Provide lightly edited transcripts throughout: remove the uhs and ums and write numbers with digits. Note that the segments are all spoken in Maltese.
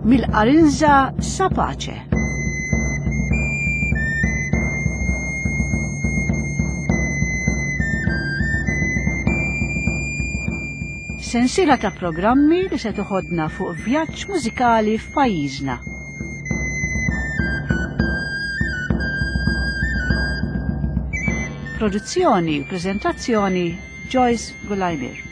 Mill-Qarinża sa Pace. Sensiela ta' programmi li se toħodna fuq vjaġġ mużikali f'pajjiżna. Produzzjoni u preżentazzjoni Joyce Gulajmir.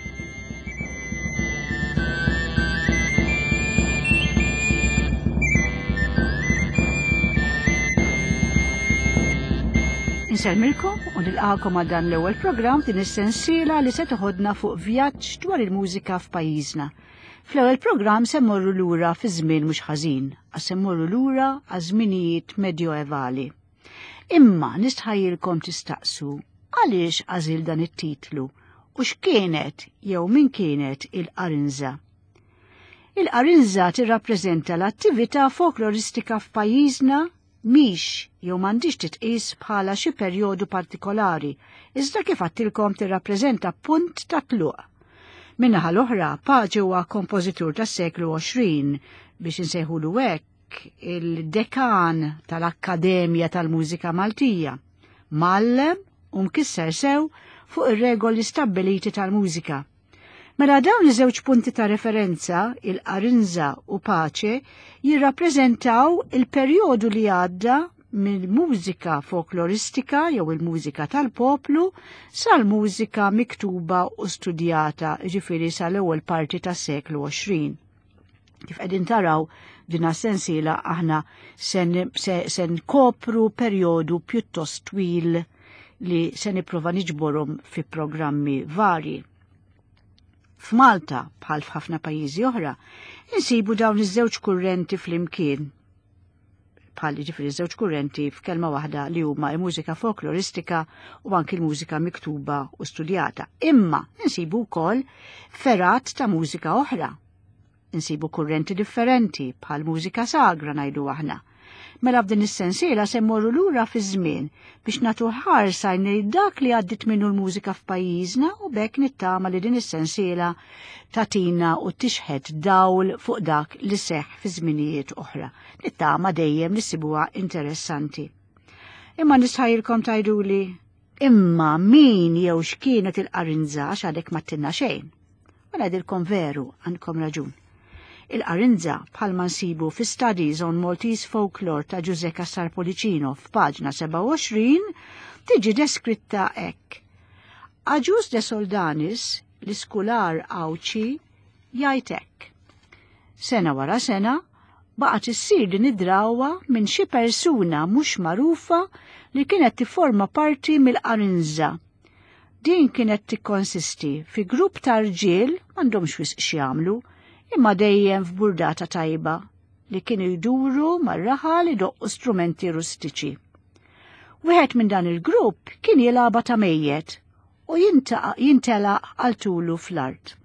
Insellmilkom u nilqakom għal dan l-ewwel programm din is-sensiela li se toħodna fuq vjaġġ dwar il-mużika f'pajjiżna. Fl-ewwel programm se mmorru lura fi żmien mhux ħażin, għax se mmorru lura għaż-żminijiet medjoevali. Imma nistħajjilkom tistaqsu għaliex għażil dan it-titlu u x'kienet jew min kienet il-qarinża. Il-qarinża tirrappreżenta l-attività folkloristika f'pajjiżna mhix jew m'għandix titqis bħala xi perjodu partikolari, iżda kif għattilkom tirrappreżenta punt ta' tluq. Min-naħa l-oħra, Pace huwa kompożitur tas-seklu 20 biex insejħulu hekk il-dekan tal-Akkademja tal-Mużika Maltija, mgħallem u mkisser sew fuq ir-regoli stabbiliti tal-mużika. Mela dawn iż-żewġ punti ta' referenza, il-Qarinża u Pace, jirrappreżentaw il-perjodu li għadda mill-mużika folkloristika jew il-mużika tal-poplu sal-mużika miktuba u studjata, ġifieri sal-ewwel parti tas-seklu 20. Kif qegħdin taraw din sensiela aħna se nkopru perjodu pjuttost twil li se nipprova niġborhom fi programmi varji. F'Malta, bħal f'ħafna pajjiżi oħra, insibu dawn iż-żewġ kurrenti flimkien. Bħal ġifieri żewġ kurrenti f'kelma waħda li huma l-mużika folkloristika u anki l-mużika miktuba u studjata. Imma insibu wkoll ferat ta' mużika oħra Insibu kurrenti differenti bħal mużika sagra ngħidu aħna. Mela f'din is-sensiela se mmorru lura fiż-żmien biex nagħtu ħarsa lejn dak li għaddit minnu l-mużika f'pajjiżna u bekk nittama li din is-sensiela tatina u tixħet dawl fuq dak li seħħ fi żminijiet oħra. Nittama dejjem li ssibuha interessanti. Imma nistħajilkom tgħiduli imma min jew x'kienet il-qarinża għax għadek ma tinna xejn. U ngħidilkom veru, għandkom raġun. Il-qarinza bħalma nsibu fi Studies on Maltese Folklore ta' Ġuże Cassar Policino f'paġna 27 tiġi deskritta hekk. Aġus de Soldanis, l-iskular Għawdxi, jgħid hekk. Sena wara sena, baqgħet issir din id-drawwa minn xi persuna mhux magħrufa li kienet tifforma parti mill-qarinża Din kienet tikkonsisti fi grupp ta' rġiel m'għandhomx wisq x'jagħmlu, imma dejjem f'burdata tajba li kienu jduru mar-raħal idoqqu strumenti rustiċi. Wieħed minn dan il-grupp kien jilgħabha ta' mejjet u jintelaq għal tulu fl-art.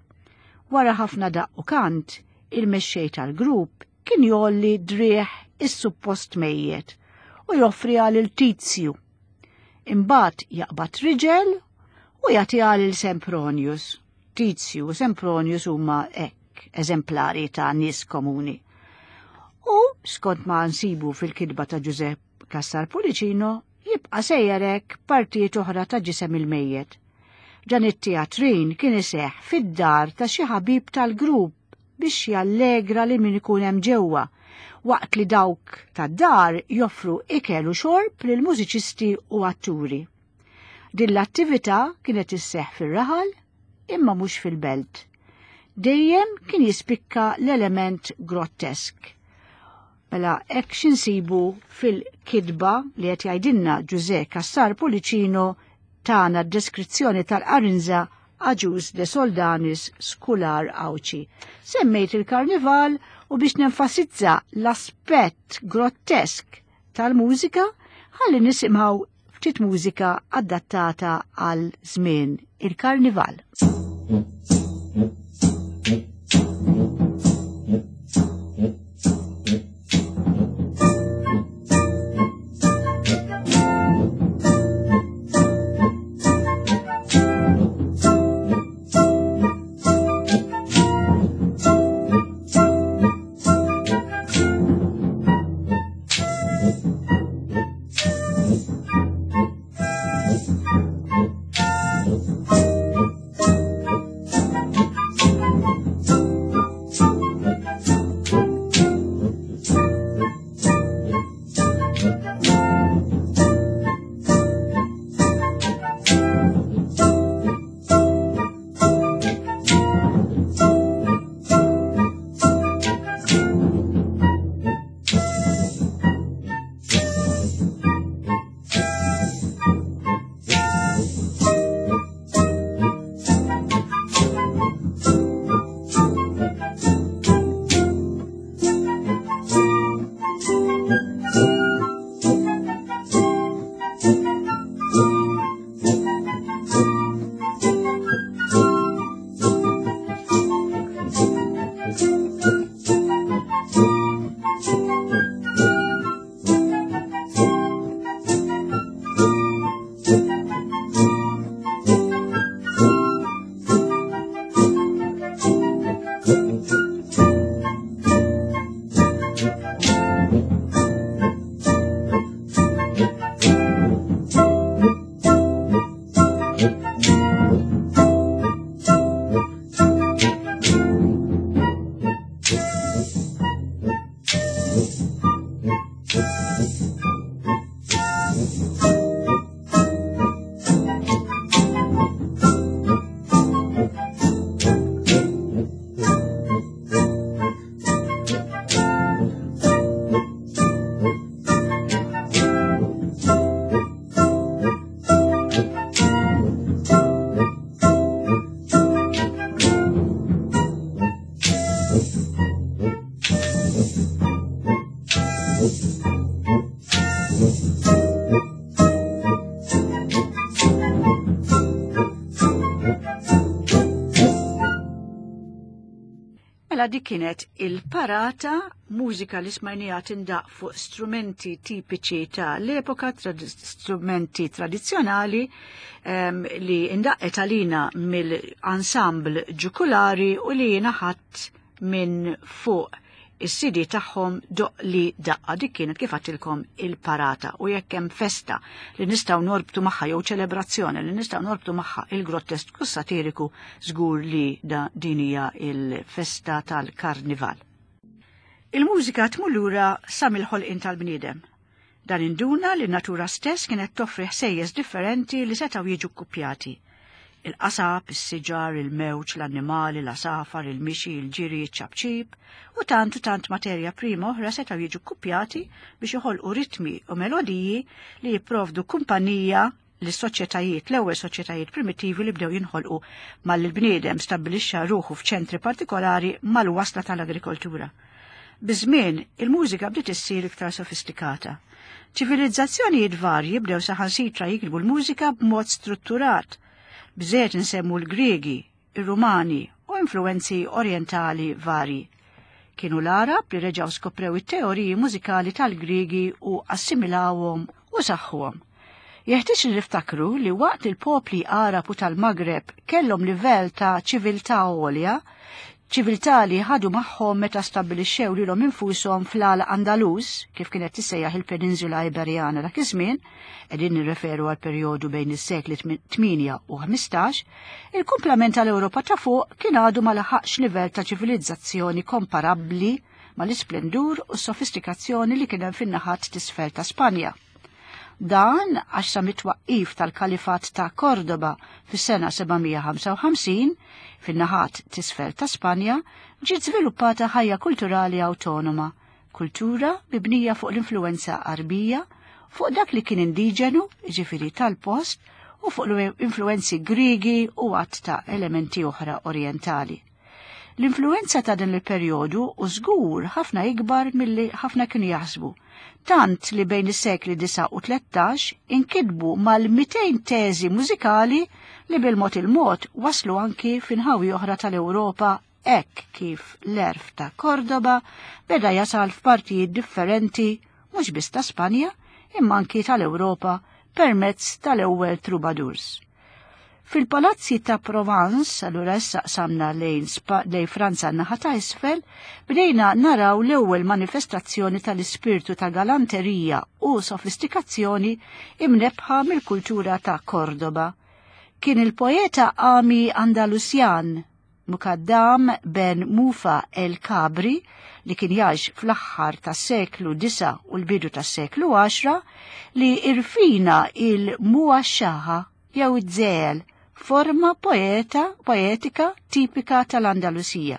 Wara ħafna daqq u kant, il-mexxej tal-grupp kien jgħolli driegħ is-suppost mejjet u joffri għal il-tizju Imbagħad jaqbad riġel u jagħtiha lil Sempronius. Tizju u Sempronius huma hekk eżemplari ta' nies komuni. U skont ma nsibu fil-kitba ta' Ġużepp Cassar Pulicino jibqa' sejjer hekk partijiet oħra ta' ġisem il-mejjet. Dan it-teatrin kien iseħħ fid-dar ta' xi ħabib tal-grupp biex jallegra lil min ikun hemm ġewwa, waqt li dawk tad-dar joffru ikel u xorb lil mużiċisti u atturi. Din l-attività kienet isseħħ fir-raħal imma mhux fil-belt. Dejjem kien jispikka l-element grottesk. Mela hekk x'insibu fil-kitba li qed jgħidilna Ġużè Cassar Pulicino tana d-deskrizzjoni tal-qarinża Agius de Soldanis Skular Għawdxi. Semmejt il-karnival u biex nenfasizza l-aspett grottesk tal-mużika ħalli nisimgħu ftit mużika adattata għal żmien il-karnival. Mela dik kienet il-parata, mużika li smajnija tindaq fuq strumenti tipiċi ta' l-epoka, strumenti tradizzjonali um, li indaqqet għalina mill-ensemble ġukulari u li naħat minn fuq is-CD tagħhom doq li daqqa dik kienet kif għattilkom il-parata u jekk hemm festa li nistgħu norbtu magħha jew ċelebrazzjoni li nistgħu norbtu magħha il-grottest satiriku żgur li da din hija il-festa tal-karnival. Il-mużika tmur lura sa mill-ħolqien tal-bniedem. Dan induna li n-natura stess kienet toffri ħsejjes differenti li setgħu jiġu kkupjati. Il-qasab, is-siġar, il-mewġ, l-annimali, l-għasafar, il-mixi, il-ġiri, iċ-ċapċip, u tant u tant materja prima oħra setgħu jiġu kkupjati biex joħolqu ritmi u melodiji li jipprovdu kumpanija lis-soċjetajiet, l-ewwel soċjetajiet primittivi li bdew jinħolqu malli l-bniedem stabbilixxa ruħu f'ċentri partikolari mal-wasla tal-agrikoltura. Biż-żmien, il-mużika bdiet issir iktar sofistikata. Ċivilizzazzjonijiet varji bdew saħansitra jiktbu l-mużika b'mod strutturat. Bżejjed insemmu l-Griegi, ir-Rumani u influwenzi orjentali varji. Kienu l-Għarab li reġgħu skoprew it-teoriji mużikali tal-Griegi u assimilawhom u saħħuhom. Jeħtieġ li niftakru li waqt li l-popli Għarab u tal-Magreb kellhom livell ta' ċiviltà għolja, ċiviltà li ħadu magħhom meta stabbilixxew lilhom infushom fl-Al Andalus, kif kienet tissejjaħ il-Peninsula Iberjana dak iż-żmien, qegħdin nirreferu għal perjodu bejn is-sekli 8 u 15, il-kumplament tal-Ewropa ta' fuq kien għadu ma laħaqx livell ta' ċivilizzazzjoni komparabbli mal-isplendur u s-sofistikazzjoni li kien hemm fin-naħat t'isfel ta' Spanja. Dan għax sa mit-twaqqif tal-Kalifat ta' Kordoba fis-sena 755, fin-naħat t'isfel ta' Spanja, ġiet żviluppata ħajja kulturali awtonoma, kultura mibnija fuq l-influwenza Għarbija, fuq dak li kien indiġenu, jiġifieri tal-post, u fuq l-influwenzi Griegi u għadd ta' elementi oħra Orjentali. L-influwenza ta' dan il-perjodu u żgur ħafna ikbar milli ħafna kienu jaħsbu, tant li bejn is-sekli 9 u 13 inkitbu mal-200 teżi mużikali li bil-mod il-mod waslu anki f'inħawi oħra tal-Ewropa hekk kif l-għerf ta' Cordoba beda jasal f'partijiet differenti mhux biss ta' Spanja imma anki tal-Ewropa permezz tal-ewwel troubadours. Fil-palazzi ta' Provence, allura issa qsamna lejn, lejn Franza naħa ta' isfel, bdejna naraw l-ewwel manifestazzjoni tal-ispirtu ta' galanterija u sofistikazzjoni imnebħa mill-kultura ta' Cordoba. Kien il-poeta Ami Andalusjan Mukaddam ben Mufa el Kabri li kien jgħix fl-aħħar tas-seklu 9 u l-bidu tas-seklu 10 li irfina il-muwaxxaha jew iż-żegħel, forma poeta poetika tipika tal-Andalusija.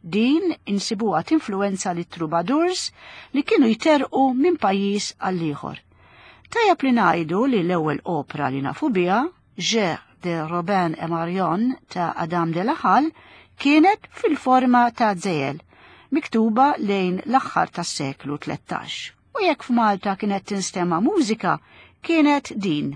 Din insibuha tinfluwenza lit-troubadours li kienu jterrqu minn pajjiż għal ieħor. Tajjeb li ngħidu li l-ewwel opra li nafu biha, Jeu de Robin et Marion ta' Adam de la Halle, kienet fil-forma ta' żegħel, miktuba lejn l-aħħar tas-seklu 13. U jekk f'Malta kienet tinstema' mużika, kienet din.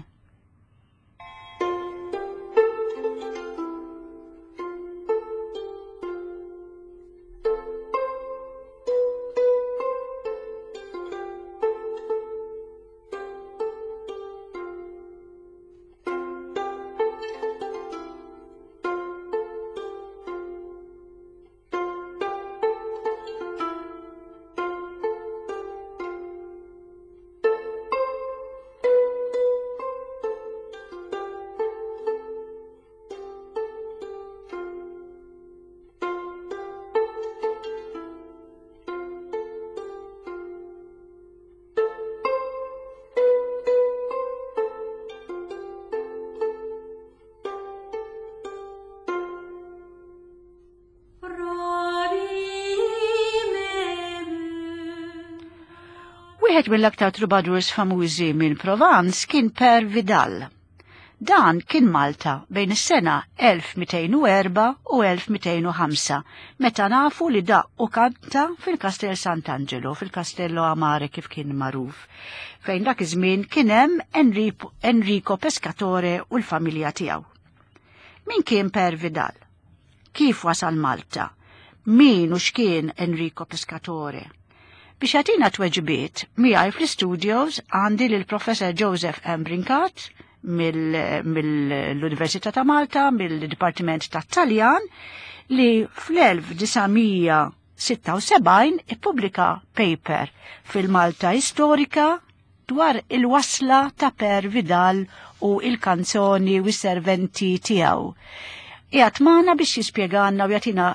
Wieħed mill-aktar troubadours famużi minn Provence kien Per Vidal. Dan kien Malta bejn is-sena 1204 u 1205, meta nafu li daq u kanta fil-Kastell Sant'Angelo, fil-Castello Amare kif kien magħruf, fejn dak iż-żmien kien hemm Enrico Pescatore u l-familja tiegħu. Min kien Per Vidal? Kif wasal Malta? Min u x'kien Enrico Pescatore? Biex jagħtina tweġibiet, miegħi fl-istudios għandi lil Professor Joseph M. Brincat mill-Università ta' Malta, mill-Dipartiment ta' Taljan, li fl-1976 ippubblika paper fil-Malta Istorika dwar il-wasla ta' Per Vidal u il-kanzoni u s-serventi tiegħu. Qiegħed magħna biex jispjegana u jagħtina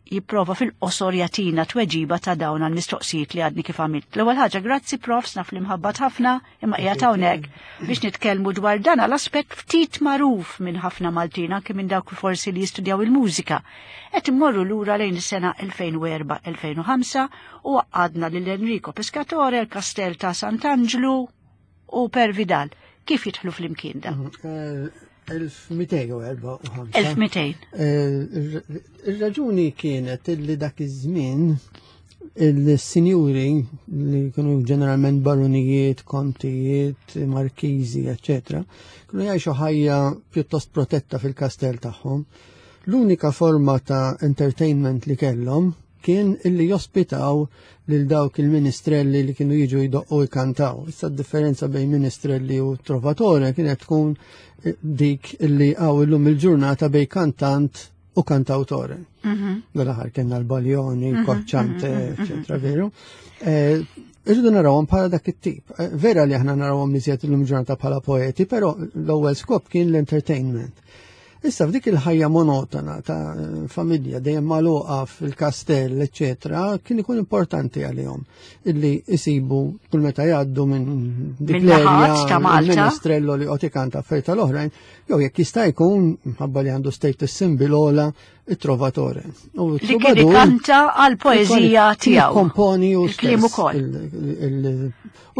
jipprova fil-qosor jagħtina tweġiba ta' dawn għall-mistoqsijiet li għadni kif għamilt. L-ewwel ħaġa, grazzi profs, naf li mħabbat ħafna, imma qiegħed hawnhekk biex nitkellmu dwar dan għal-aspett ftit magħruf minn ħafna Maltin, anke minn dawk forsi li jistudjaw il-mużika. Qed immorru lura lejn is-sena 2004-2005 u għadna lil Enrico Pescatore, il-Kastell ta' Sant'Anġlu u Per Vidal. Kif jidħlu fl-imkien da? 1254. 1200. Ir-raġuni kienet illi dak iż-żmien il-sinjuri li kienu ġeneralment baronijiet, kontijiet, markiżi, eccetera, kienu jgħixu ħajja pjuttost protetta fil-kastell tagħhom. L-unika forma ta' entertainment li kellhom kien illi jospitaw lil dawk il-ministrelli li kienu jiġu jdoqqu jkantaw. Issa d-differenza bejn ministrelli u trovatore kienet tkun dik illi għaw illum il-ġurnata bejn kantant u kantautore. Dal-aħħar kellna l-Baglioni, Cocciante, eccetera, veru. Irridu narawhom bħala dak it-tip. Vera li aħna narawhom iżjed illum ġurnata bħala poeti, però l-ewwel skop kien l-entertainment. Issa f'dik il-ħajja monotona ta' familja dejjem magħluqa fil-kastell, eċetera, kien ikun importanti għalihom illi isibu kull meta jgħaddu minn dik Minn l-erja naħat ta' Malta. il-ministrello li qed ikanta affarijiet tal-oħrajn, jew jekk jista' jkun minħabba li għandu status symbol ola it-trovatore. U Li kien t-troubadour ikanta għal poeżija tiegħu. Komponi u Il-kliem stess ukoll. u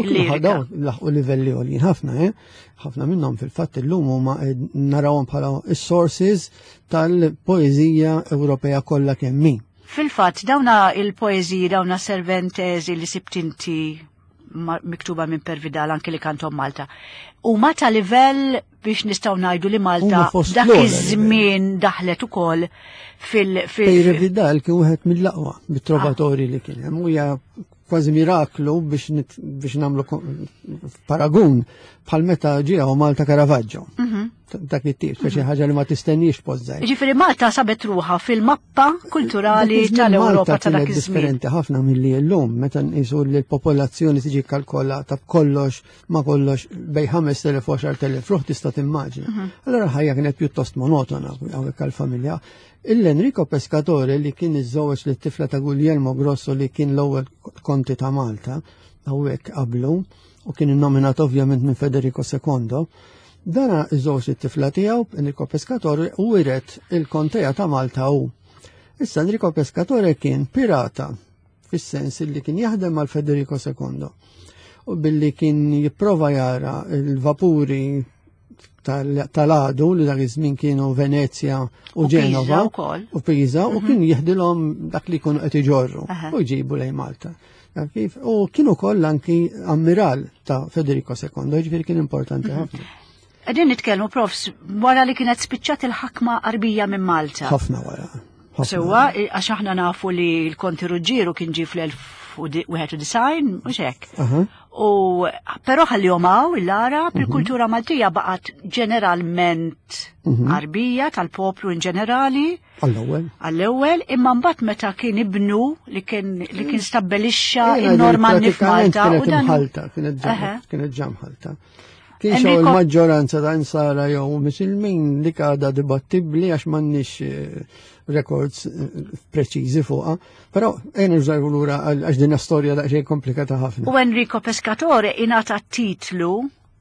kienu Il-lirika. ħadaw laħqu livelli għoljin ħafna, Ħafna minnhom fil-fatt illum huma narawhom bħala is-sources tal-poeżija Ewropea kollha kemm hi. Fil-fatt dawna il-poeżiji, dawna serventesi li sibt inti miktuba minn Per Vidal anke li kantom Malta. U ma ta' livell biex nistgħu ngħidu li Malta Huma fost dak l-ogħla iż-żmien daħlet ukoll fil-, fil Per Vidal kien wieħed mill-aqwa bit-trovatori li kien hemm, u hija kważi miraklu biex nagħmlu paragun bħal meta ġie hawn Malta Caravaggio. Dak it-tip, speċi ħaġa li ma tistenniex post żgħir. Ġifieri Malta sabet ruħha fil-mappa kulturali Dak iż-żmien tal-Ewropa Malta ta' dak kienet iż-żmien. differenti ħafna milli llum, meta nqisu li l-popolazzjoni tiġi kalkolata b'kollox ma kollox bej 5,000 u 10,000 ruħ tista' timmaġina. Allora l-ħajja kienet pjuttost monotona hawnhekk għall-familja. Il-Enrico Pescatore li kien iżżewweġ lit-tifla ta' Guglielmo Grosso li kien l-ewwel konti ta' Malta hawnhekk qablu u kien innominat ovvjament minn Federico sekondo, dana iżżewweġ lit-tifla tiegħu Enrico Pescatore u wiret il-kontea ta' Malta hu. Issa Enrico Pescatore kien pirata fis-sens li kien jaħdem mal Federico sekondo u billi kien jipprova jara il-vapuri tal-għadu li dak iż-żmien kienu Venezia u U Pisa Ġenova wkoll. u Pisa u kien jihdilhom dak li jkunu qed iġorru u jġibu lejn Malta. Kif? U kien ukoll anki ammiral ta' Federico sekondo, jiġifieri kien importanti ħafna. Qegħdin nitkellmu, profs, wara li kienet spiċċat il-ħakma qarbija minn Malta. Ħafna wara. Ħafna Sewwa, wara. għax aħna nafu li l-Konti Ruġġieru kien ġie fl-elf u wieħed u disgħin, mhux hekk. U però ħallihom hawn il-Arab, il-kultura Maltija baqgħet ġeneralment Arbija tal-poplu in ġenerali. Għall-ewwel. Għall-ewwel, imma mbagħad meta kien ibnu li kien stabbilixxa Jiena in-Normanni pratikament f'Malta u kienet dan imħalta, kienet ġa mħalta. Kien xew Enrico il-maġġoranza ta' insara jew misilmin li għadha dibattibbli għax m'għandniex records preċiżi fuqha, però ejn nirġgħu lura għax din storja daqsxejn komplikata ħafna. U Enrico Pescatore ingħata titlu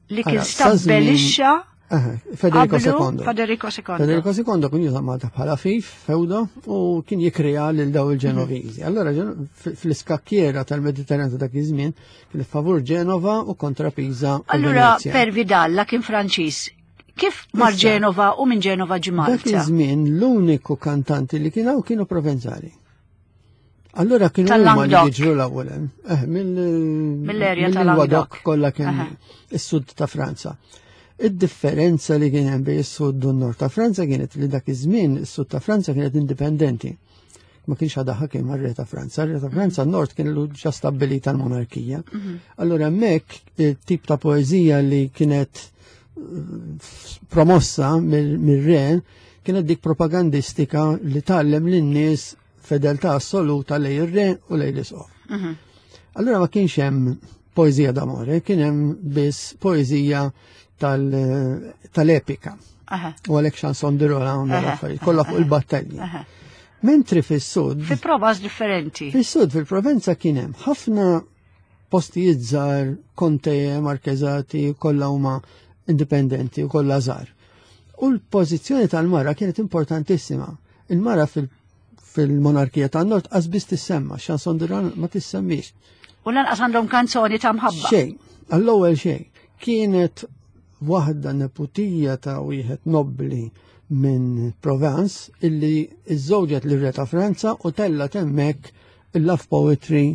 li kien Ara, sa żmien stabbilixxa Federico II. Federico II. Federico II kien juża Malta bħala fif, fewdo, u kien jikrea lil daw il-Ġenoviżi. Allora fl-iskakkiera tal-Mediterran ta' dak iż-żmien kien favur Ġenova u kontra Pisa. Allura per Vidal kien Franċiż. Kif mar Ġenova u minn Ġenova ġi Malta? Dak iż-żmien l-uniku kantanti li kien hawn kienu Provenzali. Allura kienu huma li jiġru l-ewwel hemm. Eh, mill-erja tal-Languedoc kollha kien is-sud ta' Franza. Id-differenza li kien hemm bejn is-sud u n-nord ta' Franza kienet li dak iż-żmien is-sud ta' Franza kienet indipendenti. Ma kienx għadha ħakim mar-re ta' Franza. Re ta' Franza n-nord kien lu ġa stabbilita l-monarkija. Mhm. Allura hemmhekk tip ta' poeżija li kienet eh, promossa mir-re kienet dik propagandistika li tgħallem lin-nies fedeltà assoluta lej ir-re u lej l-isqof. Mhm. Allura ma kienx hemm poeżija d'amore, kien hemm biss poeżija tal-epika. U għalhekk chanson de Roland affarijiet kollha fuq il-battalji. Mentri fis-sud. Fi provas differenti. Fis-sud fil-Provenza kien hemm ħafna postijiet żgħar, konteje, markeżati, kollha huma indipendenti u kollha żgħar. U l-pożizzjoni tal-mara kienet importantissima. Il-mara fil-monarkija tan nord qas biss tissemma, chanson de Roland ma tissemmix. U lanqas għandhom kanzoni ta' mħabba. Xejn, għall-ewwel xejn. Kienet waħda neputija ta' wieħed nobbli minn Provence illi iżżewġet lir re ta' Franza u tella hemmhekk il-love poetry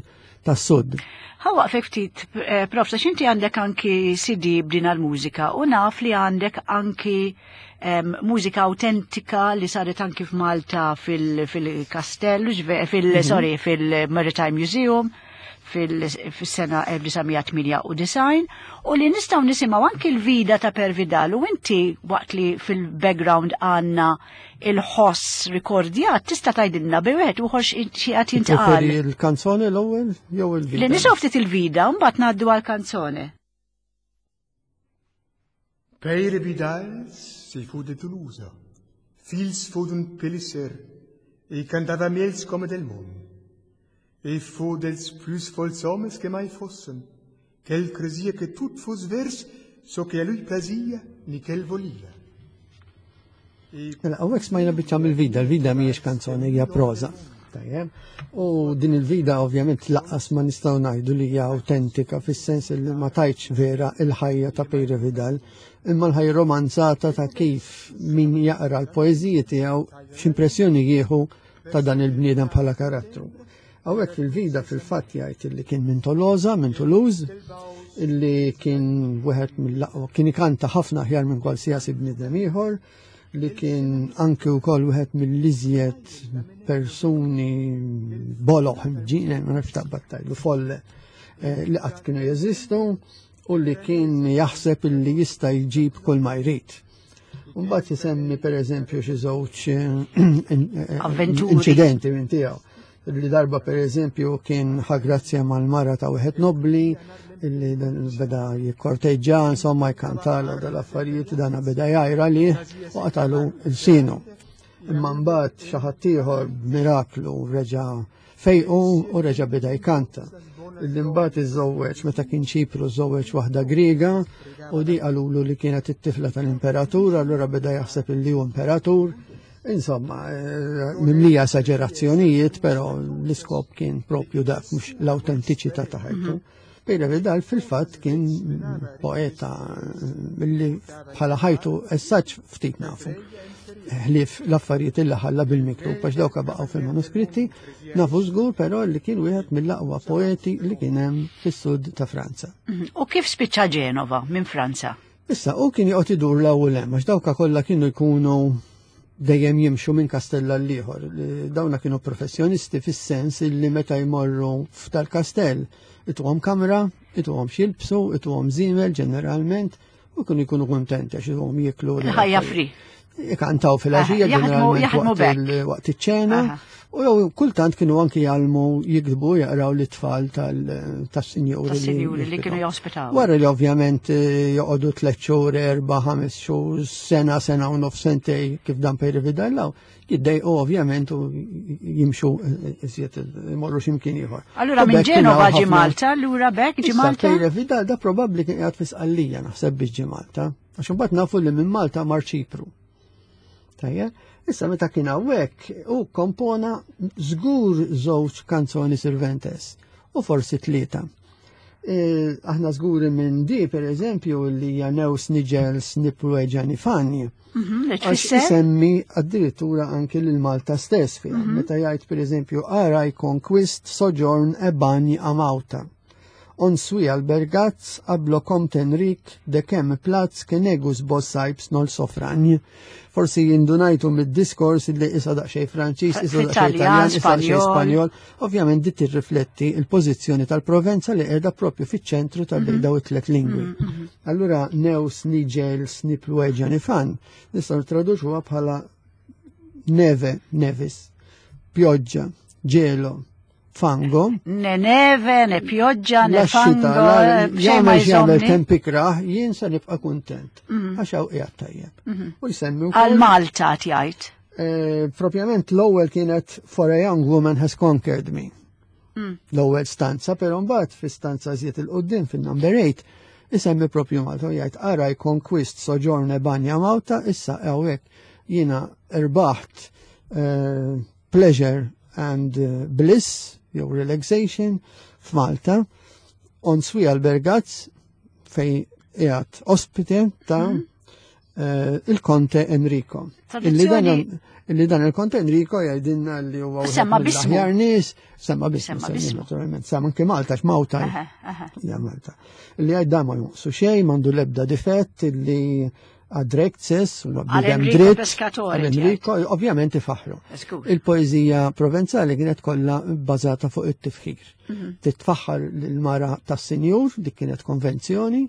tas-sud. Ħa waqfek ftit, eh, prof, għax inti għandek anki CD b'din għal-mużika u naf li għandek anki mużika autentika li saret anki f'Malta fil-Kastellu, fil, mm -hmm. sorry, fil-Maritime Museum fil-sena 1998 u li nistgħu nisimgħu anki l-vida ta' Peire Vidal u inti waqt li fil-background għandna il-ħoss rikordjat tista' tgħidilna bi wieħed u xi qed jintqal. Il-kanzone l-ewwel jew il-vida? Li nisimgħu ftit il-vida u mbagħad ngħaddu għall-kanzone. Peire Vidal se fu de Toulouse, fils fu d'un pelisser, e cantava miels come del món. E fu dels plus fols homes que mai fossen, qu'el cresia que tot fos vers so que a lui plasia, ni qu'el volia. Mela, hawnhekk smajna biċċa mill-vida, il-vida mhijiex kanzoni, hija proża. Tajjeb. U din il-vida ovvjament lanqas ma nistgħu ngħidu li hija autentika fis-sens li ma tajtx vera il-ħajja ta' Peire Vidal, imma l-ħajja romanzata ta' kif min jaqra l-poeżiji tiegħu x'impressjoni jieħu ta' dan il-bniedem bħala karattru. Hawnhekk fil-vida fil-fatt jgħid li kien minn Tolosa, minn Toulouse, illi kien wieħed mill-aqwa, kien ikanta ħafna aħjar minn kwalsiasi bniedem ieħor, li kien anke wkoll wieħed mill-iżjed persuni boloħ ġine, ma nafx taqbad tgħidlu folle eh, li qatt kienu jeżistu u li kien jaħseb illi jista' jġib kull ma jrid. Mbagħad jisemmi pereżempju xi żewġ eh, inċidenti minn tiegħu. Li darba pereżempju kien ħa grazzja mal-mara ta' wieħed nobli illi beda jikkorteġġa, insomma jkantala dal-affarijiet dana beda jgħajra li u qatalu l-sinu. Imma mbagħad xi ħadd ieħor b'miraklu reġa' fejqu u reġa' beda jkanta. Illi mbagħad iżżewweġ meta kien Ċipru żewweġ waħda Griega u di qalulu li kienet it-tifla tal-imperatur, allura beda jaħseb illi hu imperatur. Insomma, eh, mimlija esagerazzjonijiet, però l-iskop kien propju dak mhux l-autentiċità ta' ħajtu. Mhm. Peire Vidal fil-fatt kien poeta eh, li bħala ħajtu essaċ ftit nafu. Ħlief l-affarijiet illi ħalla bil-miktub għax dawka baqgħu fil-manuskritti, nafu żgur però li kien wieħed mill-aqwa poeti li kien hemm fis-sud ta' Franza. Mhm. U kif spiċċa Ġenova minn Franza? Issa, u kien joqgħod idur l-ewwel hemm għax dawka kollha kienu jkunu dejjem jimxu minn kastell għal ieħor. Dawna kienu professjonisti fis-sens illi meta jmorru f'tal-kastell ituhom kamra, ituhom x'jilbsu, ituhom żiemel ġeneralment u kienu jkunu kontenti għax ituhom jieklu. Ħajja free. Ikantaw fil-għaxija ġeneralment waqt iċ-ċena. U jew kultant kienu anki jgħallmu jiktbu jaqraw l-tfal tas-sinjuri. Tas-sinjuri li kienu jospitaw. Wara li ovvjament eh, joqogħdu tliet xhur, erba', ħames xhur, sena, sena u nof sentej kif dan Peire Vidal jiddejqu ovvjament u jimxu eh, iżjed imorru x'imkien ieħor. Allura minn Ġenova ġi Malta, allura bekk ġi Malta? Peire Vidal da probabbli kien qiegħed fi Sqallija naħseb biex ġi Malta. Għax imbagħad nafu li minn Malta mar Ċipru. Tajja, issa meta kien hawnhekk hu kompona żgur żewġ kanzoni Sirventes u forsi tlieta. E, aħna żguri minn di per eżempju li hija Neus Nigels Niprueġa Nifani. Mhm, Għax isemmi addirittura anki lil Malta stess fiha. Meta jgħid per eżempju Araj Conquist Sojourn e Bagni Amauta. On sui albergats ablo comte Enric de kem platz ke negus bossajps nol sofranj. Forsi jindunajtu mid-diskors li isa daqxej Franċiż, isa daqxej Italjan, isa daqxej Spanjol. Ovvjament dit tirrifletti il-pożizzjoni tal-Provenza li qiegħda propju fiċ-ċentru tal-bejn daw it-tlet lingwi. Allura neus nigel sniplueġa nifan nistgħu nittraduċuha bħala neve, nevis, pjoġġa, ġelo, fango. Ne neve, ne pjoġġa, ne fango. Jagħmel jagħmel temp ikrah, jien se nibqa' kuntent. Għax hawn qiegħed tajjeb. U jsemmi wkoll. Għal Malta jgħid. Eh, propjament l-ewwel kienet For a Young Woman Has Conquered Me. L-ewwel stanza, però mbagħad fi stanza żied il-qudiem fin-number 8 isemmi propju Malta u jgħid ara conquist soġorne banja Malta issa hawnhekk jiena irbaħt eh, pleasure and eh, bliss jew relaxation f'Malta on swi albergaz fej qiegħed ospite ta' eh, il-Konte Enrico. Illi dan illi dan il-Konte Enrico jgħidilna li huwa Semma bismu. mill-aħjar nies, semma bismu, Semma semmi bismu. naturalment, semma anke Malta x'Mawta. Aha, aha. Ja, Malta. Illi jgħid dan ma jonqsu xejn, m'għandu l-ebda difett, illi għadrekces, Għal bidem Enrico dritt. Pescatore, għal Enrico, ovvjament ifaħru. Żgur. Il-poezija provenzali kienet kollha bbażata fuq it-tifħir. Titfaħħar l-mara tas-sinjur, dik kienet konvenzjoni,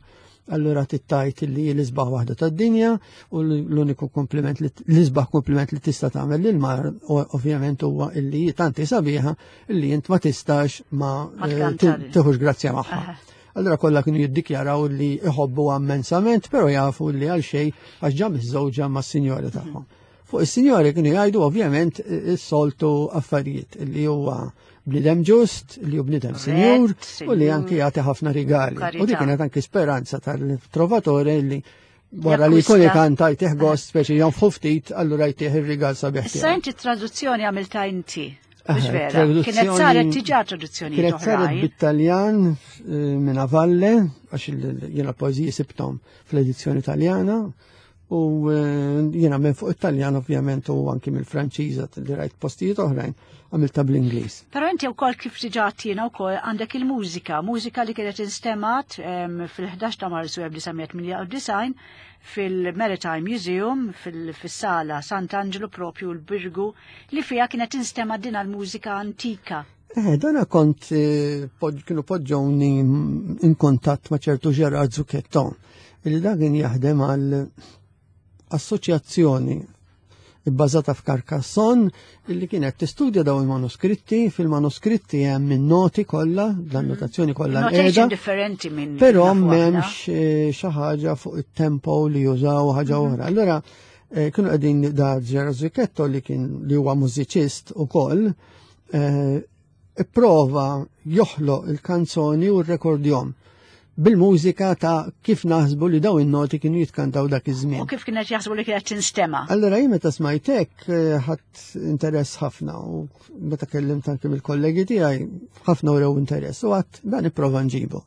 allura tittajt li l-isbaħ waħda tad-dinja u l-uniku kompliment li l-isbaħ kompliment li tista' tagħmel lil mara ovvjament huwa illi tanti sabiħa illi int ma tistax ma Ma eh, tkantari. tieħux grazzja magħha. Aha. Allora kollha kienu jiddikjaraw li iħobbu immensament, però jafu li għal xejn għax ġa miżżewġa mas-sinjora tagħhom. Fuq is-sinjori kienu jgħidu ovvjament is-soltu affarijiet li huwa bniedem ġust, li hu bniedem sinjur u li anki jagħti ħafna rigali. U dik Karità. kienet anki speranza tal-trovatore li wara li jkun Jakkwista. ikanta jtih gost speċi jonfħu ftit, allura jtih ir-rigal sabiħ Issa tiegħu. inti traduzzjoni għamilta inti. Mhux Aha, vera. traduzzjoni- Kienet saret diġà traduzzjoni Kienet saret oħrajn. bit-Taljan eh, minn Avalle, għax jiena poeżiji sibtom fl-edizzjoni Taljana, u eh, jiena minn fuq it-Taljan ovvjament u anki mill-Franċiża li rajt postijiet oħrajn għamilta bl-Ingliż. Però inti wkoll kif diġà għattina wkoll għandek il-mużika, mużika li kienet instemat fil-11 ta' Marzu 1998 fil-Maritime Museum fil-sala Sant'Angelo propju l-Birgu li fija kienet instemat din l-mużika antika. Eh, dana kont eh, kienu poġġowni in kontatt ma' ċertu Gerard Zucchetto, illi da kien jaħdem għal assoċjazzjoni bbażata f'Carcassonne illi kienet tistudja daw il-manuskritti, fil-manuskritti hemm in-noti kollha, l-annotazzjoni kollha Notation qiegħda, differenti minn però nafu aħna. m'hemmx eh, xi ħaġa fuq it-tempo li jużaw ħaġa oħra. Allura eh, kienu qegħdin da Gerard Zucchetto li kien li huwa mużiċist ukoll, eh, ipprova joħloq il-kanzoni u r-rekordjom bil-mużika ta' kif naħsbu li daw in-noti kienu jitkantaw dak iż-żmien. U kif kienet jaħsbu li kienet tinstema. Allora jien meta smajtek eh, ħadd interess ħafna u meta kellimt anke mill-kollegi tiegħi ħafna wrew interess u għadt dan ipprova nġibu.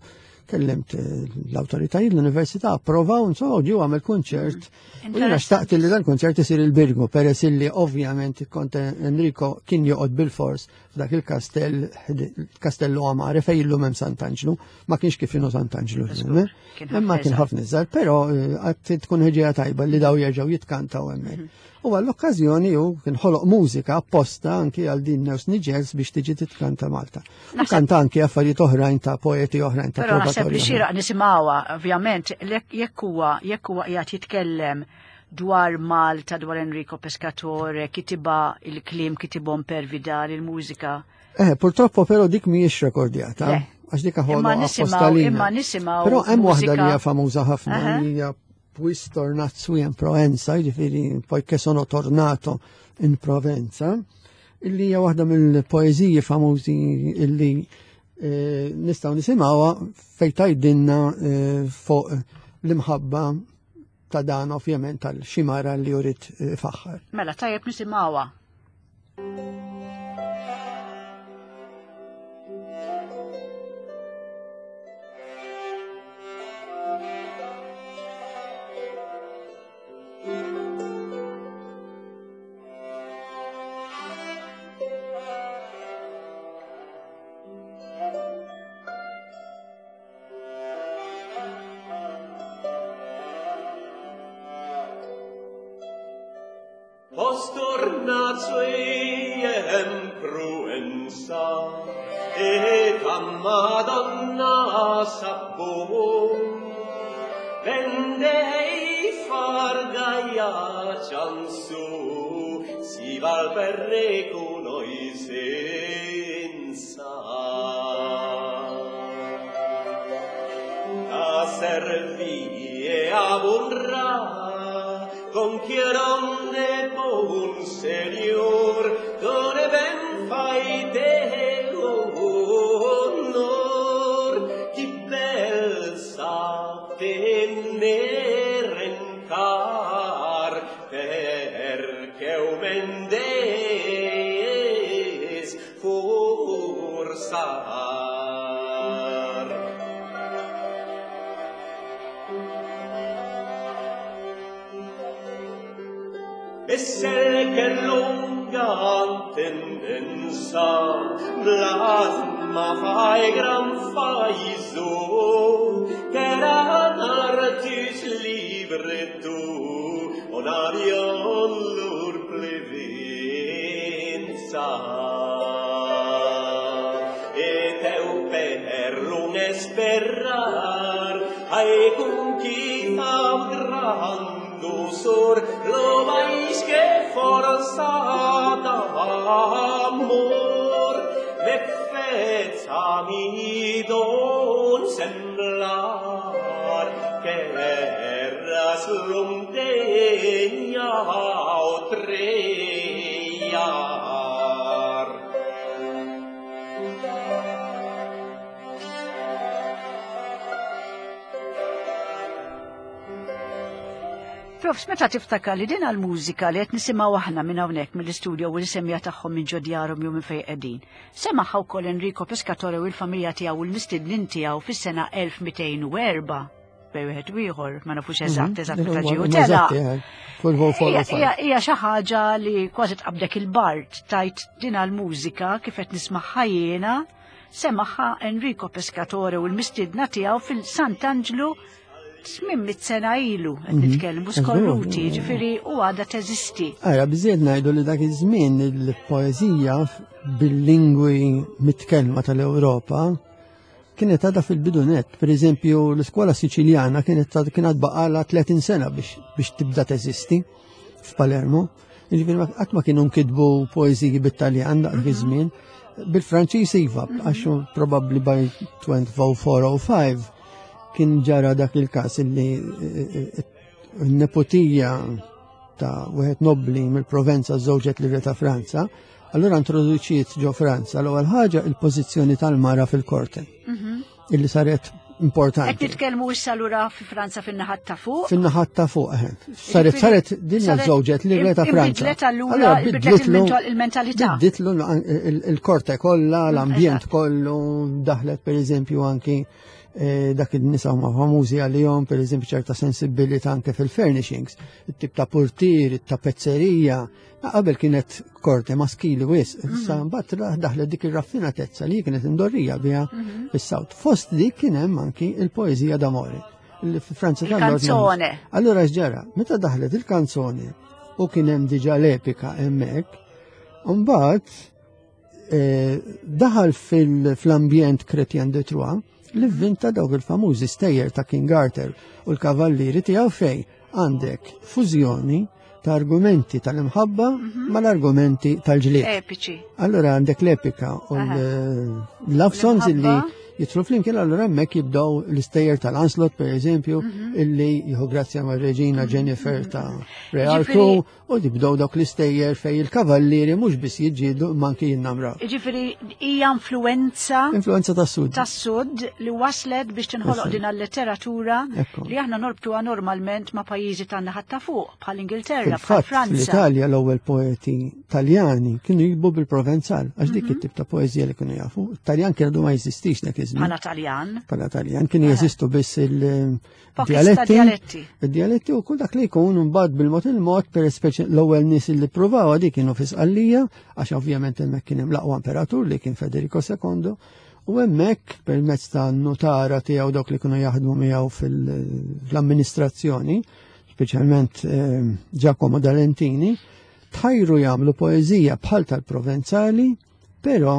Kellimt eh, l-awtoritajiet l-università approvaw insomma u ġew għamel kunċert. U jiena xtaqt li dan kunċert isir il-Birgu peress illi ovvjament il-Konte Enrico kien joqgħod bil-fors f'dak il-kastell il-Kastello Amare fejn illum hemm Sant'Anġlu, ma kienx kif inhu Sant'Anġlu llum, eh. Kien Imma ħafna kien iżgħar. ħafna iżgħar, però eh, għad tkun ħeġeja tajba li daw jerġgħu jitkantaw hemmhekk. U għall-okkażjoni hu kien ħoloq mużika apposta anki għal din News Nigels biex tiġi titkanta Malta. U kanta anki affarijiet oħrajn ta' poeti oħrajn ta' Però naħseb trovatori li oħrajn. xieraq nisimgħuha, ovvjament, jekk huwa jekk huwa qiegħed jitkellem dwar Malta, dwar Enrico Pescatore, kitiba il-kliem kitibhom per Vidal, il-mużika. Eh, purtroppo però dik mhijiex rekordjata. Le. Għax dik Imma ħoloq nisimgħu- apposta lina. imma nisimgħu Però hemm waħda li mużika- hija famuża ħafna Aha. li hija Puis tornat in Provenza, jiġifieri poiché sono tornato in Provenza, illi hija waħda mill-poeżiji famużi illi eh, nistgħu nisimgħuha fejn tgħidilna eh, fuq l-imħabba ta' dan ovvjament tal-ximara li jurid eh, faħħar. Mela tajjeb nisimgħuha. Postornazuiem pruensa et a Madonna sappo vende ei far gaia chansu si val per reconoi senza a servie a bonra con chieron de bon senior dove ben fai de honor chi bel sa tener en car perché o mendes forsar. E se che lunga tendenza blasma fai gran faiso che era artis libre tu on avion lur plevenza. Et eu per lung esperar ai conquista gran dosor lo mais que força d'amor me fez a mi don semblar que eras longdeña o trellar. Profs, meta tiftakar li din għal-mużika li qed nisimgħu aħna minn hawnhekk mill-istudio u l-semja tagħhom minn ġo djarhom jew minn fejn qegħdin. Semaħha wkoll Enrico Pescatore u l-familja tiegħu u l-mistednin tiegħu fis-sena 1204 bej wieħed u ieħor, ma nafux eżatt mhm. eżatt meta ġie tela. Eh. Hija xi ħaġa li kważi tqabdek il-bart tajt din għall-mużika kif qed nismagħha jiena semagħha Enrico Pescatore u l-mistiedna tiegħu fil-Sant'Anġlu 800 sena ilu qed mhm. nitkellmu skorruti, ġifieri u għadha teżisti. Ara biżejjed ngħidu li dak iż-żmien il-poeżija bil-lingwi mitkellma tal-Ewropa kienet għadha fil-bidunet. Per eżempju, l-iskola Siċiljana kienet kienet baqala 30 sena biex, biex tibda teżisti f'Palermo. Ġifieri qatt ma kienu nkitbu poeżiji bit-Taljan dak mhm. iż-żmien. Bil-Franċiż iva, mhm. għax probabbli by 2405 kien ġara dak il-każ illi eh, eh, n-nepotija ta' wieħed nobbli mill-Provenza żewġet li ta' Franza, allura introduċiet ġo Franza l-ewwel ħaġa il-pożizzjoni tal-mara fil-korte. Mhm. Illi saret importanti. Qed nitkellmu issa lura fi Franza fin-naħat ta' fuq. Fin-naħat ta' fuq, eh. Saret saret dinja żewġet li ta' Franza. Bidlet allura bidlet il-mentalità. Bidlitlu il-korte kollha, l-ambjent kollu, daħlet pereżempju anki Eh, dak il-nisa huma famużi għalihom, per eżempju ċerta sensibilità anke fil-furnishings, it-tip ta' portier, it-tapezzerija, qabel kienet korte maskili wis, mhm. issa mbagħad daħlet dik ir-raffinatezza li kienet indorrija biha mhm. fis-sawt. Fost dik kien hemm anki il-poeżija d'amore. Li fi Franza tal-Kanzone. Allura x'ġara, meta daħlet il-kanzone u kien hemm diġà l-epika hemmhekk, mbagħad Eh, daħal fl-ambjent Chrétien de Troyes li vvinta dawk il-famużi stejjer ta' King Arthur u l-kavallieri tiegħu fej għandek fużjoni ta' argumenti tal-imħabba mhm. mal-argumenti tal-ġlied. Epiċi. Allora għandek l-epika u l-love songs illi Jidħlu flimkien allura hemmhekk jibdew l-istejjer tal-Anslot per eżempju, mhm. illi jieħu grazzja ma' reġina mhm. Jennifer ta' Re Arthur u jibdew dawk l-istejjer fej il-kavallieri mhux biss jiġġieldu imma anki jinnamraw. Jiġifieri hija influenza Influenza tas-sud. Tas-sud li waslet biex tinħoloq din letteratura li aħna norbtuha normalment ma' pajjiżi tan-naħat ta' fuq bħal Ingilterra, bħal Franza. Fl-Italja l-ewwel poeti Taljani kienu jikbu bil-Provenzal, għax dik mhm. it-tip ta' poeżija li kienu jafu. Taljan kienu għadu ma jeżistix dak iż-żmien. Bħala Taljan. Bħala Taljan kienu jeżistu biss il-dialetti. Il-dialetti u kull dak li jkun mbagħad bil-mod il-mod per speċi l-ewwel nies li ppruvaw dik kienu fi Sqallija, għax ovvjament hemmhekk kien hemm l-aqwa imperatur li kien Federico II. U hemmhekk permezz ta' notara tiegħu dawk li kienu jaħdmu miegħu fil-amministrazzjoni, speċjalment eh, Giacomo D'Alentini, tħajru jagħmlu poeżija bħal tal-Provenzali, però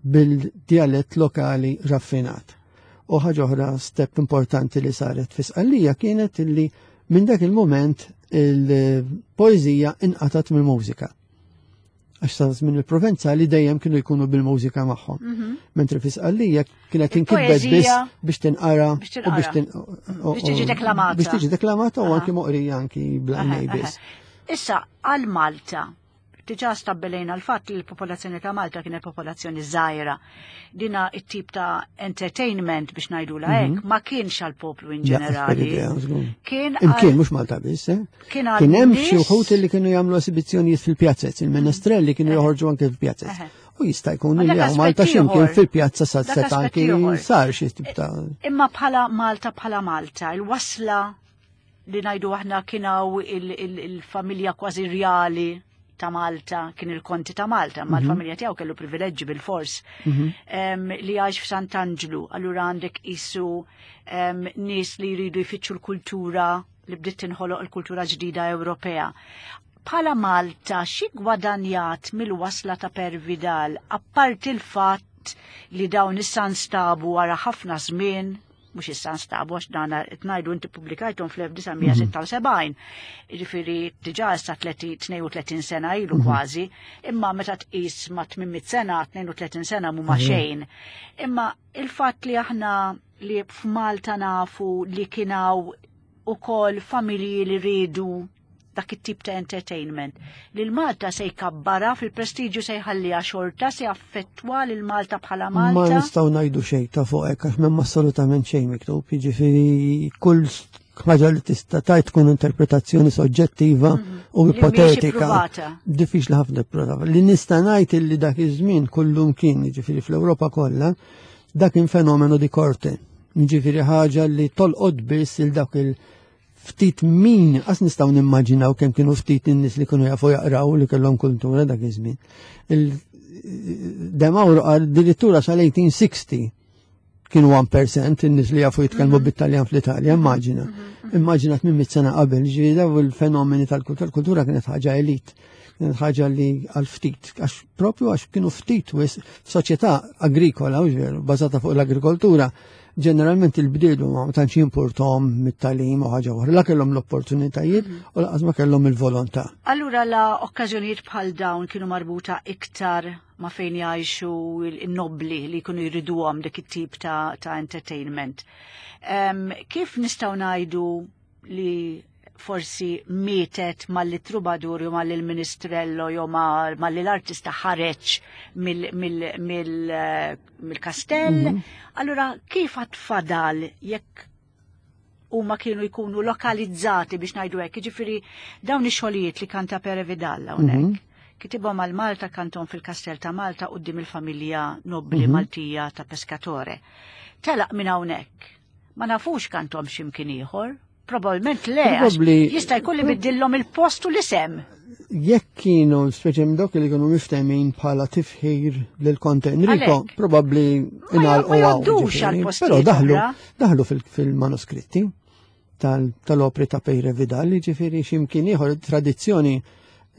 bil-djalett lokali raffinat. U ħaġa oħra step importanti li saret fi Sqallija kienet illi minn dak il-moment il-poeżija inqatat mill-mużika. Għax sa żmien il-Provenzali dejjem kienu jkunu bil-mużika magħhom. Mhm. Mentri fi Sqallija kienet inkitbet biss biex tinqara u biex tiġi deklamata. Biex tiġi deklamata u anki moqrija anki bl biss. Issa, għal Malta, diġà stabbilejna l-fatt li l-popolazzjoni ta' Malta kienet popolazzjoni żgħira. Dina it-tip ta' entertainment biex ngħidula mhm. hekk ma kienx għal poplu in ġenerali. Kien Imkien mhux Malta biss, eh? Kien hemm xi wħud li kienu jagħmlu esibizzjonijiet fil-pjazzez, il-menestrelli kienu eh. joħorġu anke fil-pjazzez. U jista' jkun li hawn Malta x'imkien fil-pjazza sa seta' anki sar xi tip ta' Imma bħala Malta bħala Malta, il-wasla li ngħidu aħna kien hawn il-familja kważi rjali ta' Malta, kien il-konti ta' Malta, ma mhm. l-familja tiegħu kellu privileġġi bil-fors mhm. li għax f'Sant'Anġlu, allura għandek isu nies li jridu jfittxu l-kultura li bdiet tinħoloq il-kultura ġdida Ewropea. Bħala Malta, xi gwadanjat mill-wasla ta' Pervidal, apparti l-fatt li dawn issa nstabu wara ħafna żmien mhux issa nstabu għax dan qed ngħidu inti pubblikajthom fl-1976. Jiġifieri diġà issa 32 sena ilu mhm. kważi, imma meta tqis ma' 800 sena, 32 sena mhuma mhm. xejn. Imma il-fatt li aħna li f'Malta nafu li kienaw ukoll familji li rridu dak it-tip ta' entertainment. Lil Malta se jkabbara fil-prestiġju se jħalliha xorta se jaffettwa lil Malta bħala Malta. Ma nistgħu ngħidu xejn ta' fuq hekk għax m'hemm assolutament xejn miktub, jiġifieri kull ħaġa li tista' tajt tkun interpretazzjoni soġġettiva mhm. u ipotetika. Diffiċli ħafna prova. Li nista' ngħid illi dak iż-żmien kullum kien, jiġifieri fl-Ewropa kollha, dak kien fenomenu di korte. Jiġifieri ħaġa li tolqod biss il dak il- ftit min, qas nistgħu nimmaġinaw kemm kienu ftit in-nies li kienu jafu jaqraw li kellhom kultura dak iż-żmien. De Mauro qal dirittura sal-1860 kienu 1% in-nies li jafu jitkellmu mhm. bit-Taljan fl-Italja, immaġina. Mhm, mhm. Immaġina 800 sena qabel, ġifieri daw il-fenomeni tal-kultura, kultura kienet ħaġa elit, kienet ħaġa li għal ftit, għax propju għax kienu ftit wis f'soċjetà agrikola, u veru, bażata fuq l-agrikoltura, ġeneralment il-bdielu ma tantx jimpurtom mit-talim u ħaġa oħra, la kellhom l-opportunitajiet mhm. u laqas ma kellhom il-volontà. Allura la okkażjonijiet bħal dawn kienu marbuta iktar ma fejn jgħixu il-nobli li jkunu jriduhom dik it-tip ta', ta entertainment. Um, kif nistgħu ngħidu li forsi mietet malli trubadur jew malli l-ministrello jew malli l-artista ħareġ mill-kastell. Mhm. Allura kif għat fadal jekk huma kienu jkunu lokalizzati biex ngħidu hekk, jiġifieri dawn ix-xogħlijiet li kanta Pere Vidal hawnhekk. Mhm. Kitibhom għal Malta kantom fil-Kastell ta' Malta quddiem il-familja nobbli mhm. Maltija ta' Pescatore. Telaq minn hawnhekk. Ma nafux kantom x'imkien ieħor. Probabilment le, jista' jkun li biddillhom il-post u l-isem. Jekk kienu, speċi dawk li kienu miftemin bħala tifħir lil Conte Enrico, probabbli ingħalqu għaw. Però daħlu, daħlu fil-manuskritti tal-opri ta' Pejre Vidal, ġifieri x'imkien ieħor tradizzjoni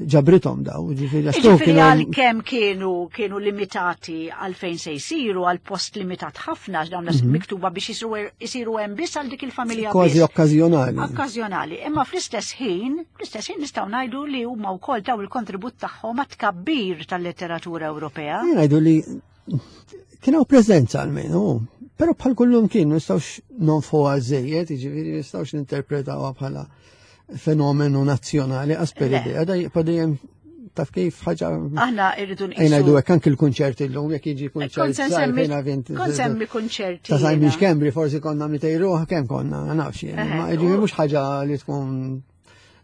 ġabritom daw, ġifieri Ġifieri għalkemm kienu kienu limitati għal fejn se jsiru għal post limitat ħafna dawn mm -hmm. miktuba biex jisiru hemm biss għal dik il-familja. Kważi okkażjonali. Okkażjonali, imma fl-istess ħin, fl-istess ħin nistgħu ngħidu li huma wkoll taw il-kontribut tagħhom għat-tkabbir tal-letteratura Ewropea. Ngħidu li kien hawn preżenza almenu. Però bħal kullum kien nistgħux nonfuha żejjed, jiġifieri nistgħux ninterpretawha bħala fenomenu nazzjonali għas per idea, da jibqa' dejjem taf kif ħaġa. Aħna irridu nqisu. Ejna jdu hekk anki l-kunċerti llum jekk jiġi kunċert. Kont semmi kunċerti. Ta' Simon Schembri forsi konna mitejruħ kemm konna, ma nafx jien. Ma jiġifieri mhux ħaġa li tkun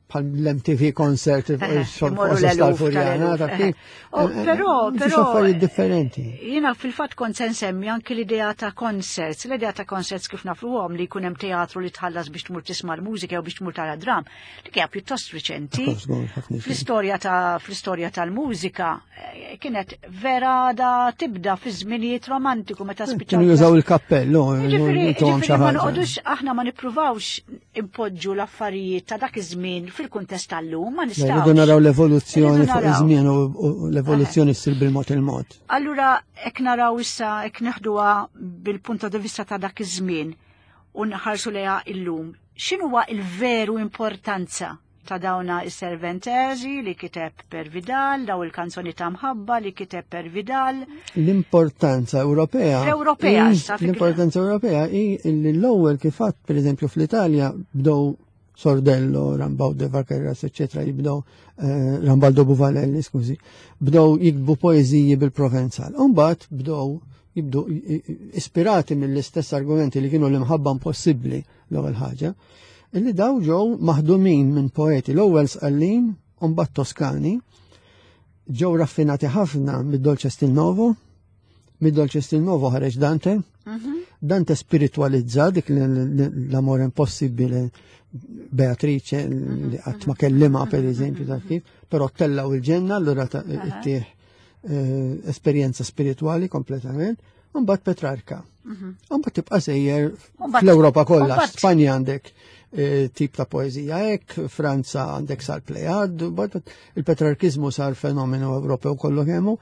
bħal l-MTV concert tal-Furjana, ta' kif. Però, però. Affarijiet differenti. Jiena fil-fatt kont se nsemmi anki l-idea ta' concerts, l-idea ta' concerts kif nafuhom li jkun hemm teatru li tħallas biex tmur tisma' l-mużika jew biex tmur tara dram, li hija pjuttost riċenti. Fl-istorja ta' fl-istorja tal-mużika eh, kienet vera da tibda fi żminijiet romantiku meta spiċċaw. Kienu jużaw il-kappellu, jiġifieri ma noqogħdux aħna ma nippruvawx impoġġu l-affarijiet ta' dak iż-żmien fil-kuntest tal-lum, ma nistgħux. Rridu naraw l-evoluzzjoni fuq iż-żmien u l-evoluzzjoni ssir bil-mod il-mod. Allura hekk naraw issa hekk neħduha bil-punto di vista ta' dak iż-żmien u nħarsu lejha illum. X'inhuwa il-veru importanza ta' dawna is-Serventesi li kiteb Per Vidal, daw il-kanzoni ta' mħabba li kiteb Per Vidal. L-importanza Ewropea. Ewropea, L-importanza Ewropea hi li l-ewwel kif għadd pereżempju fl-Italja bdew Sordello, Rambaud de Vaqueras, eccetera, jibdew eh, Rambaldo Buvalelli, skużi, bdew jikbu poeżiji bil-Provenzal. Umbagħad bdew jibdu ispirati mill-istess argumenti li kienu l-imħabba impossibbli l-ewwel ħaġa, illi daw ġew maħdumin minn poeti l-ewwel Sqallin u mbagħad Toskani, ġew raffinati ħafna mid-Dolce Stil Novo, mid-Dolce Stil Novo ħareġ Dante, mhm. Dante spiritualizza dik l-amore impossibbile Beatrice mhm. li qatt ma kellima per mhm. eżempju ta' kif, però tellaw il-ġenna allura ittieħ eh, esperjenza spirituali kompletament. Mbagħad Petrarka. Mhm. Mbagħad tibqa' sejjer fl-Ewropa kollha, Spanja għandek eh, tip ta' poeżija hekk, Franza għandek sar plejad, il-Petrarkizmu sar fenomenu Ewropew kollu kemmu,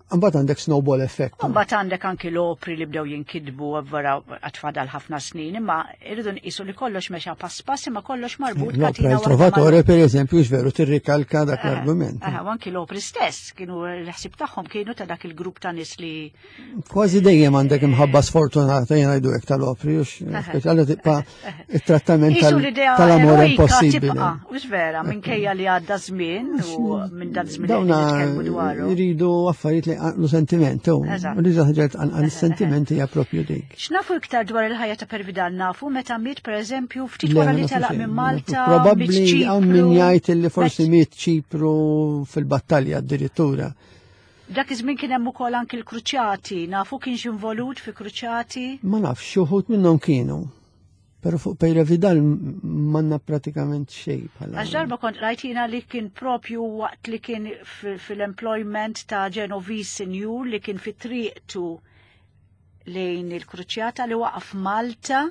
Mbagħad għandek snowball effect. Mbagħad għandek anki l-opri li bdew jinkidbu vera għatfadal ħafna snin, imma irridu nqisu li kollox mexa pass pass imma kollox marbut. L-opra il Trovatore per eżempju veru tirrikalka dak eh, l-argument. Eh, u anki l-opri stess kienu l-ħsib tagħhom kienu ta' dak il-grupp ta' nies li Kważi dejjem għandek imħabba sfortunata jien ngħidu hekk tal-opri, speċjali tibqa' it-trattament tal-amor impossibbli. Mhux vera, minkejja li għadda żmien u minn dan żmien li nitkellmu dwaru. Jridu affarijiet li għanqlu sentiment, u rridu ħaġa tqanqal is-sentimenti hija propju dik. X'nafu iktar dwar il-ħajja ta' Pervidal nafu meta miet pereżempju ftit wara li telaq minn Malta. Probabbli hawn min jgħid li forsi miet Ċipru fil-battalja addirittura. Dak iż-żmien kien hemm ukoll anki l-kruċjati, nafu kienx involut fi kruċjati? Ma nafx, xi wħud minnhom kienu. Però fuq Pejra Vidal manna pratikament xejn bħala. Għax darba kont rajt jiena li kien propju waqt li kien fil-employment ta' Genovese Sinjur li kien fi triqtu lejn il-kruċjata li waqaf Malta.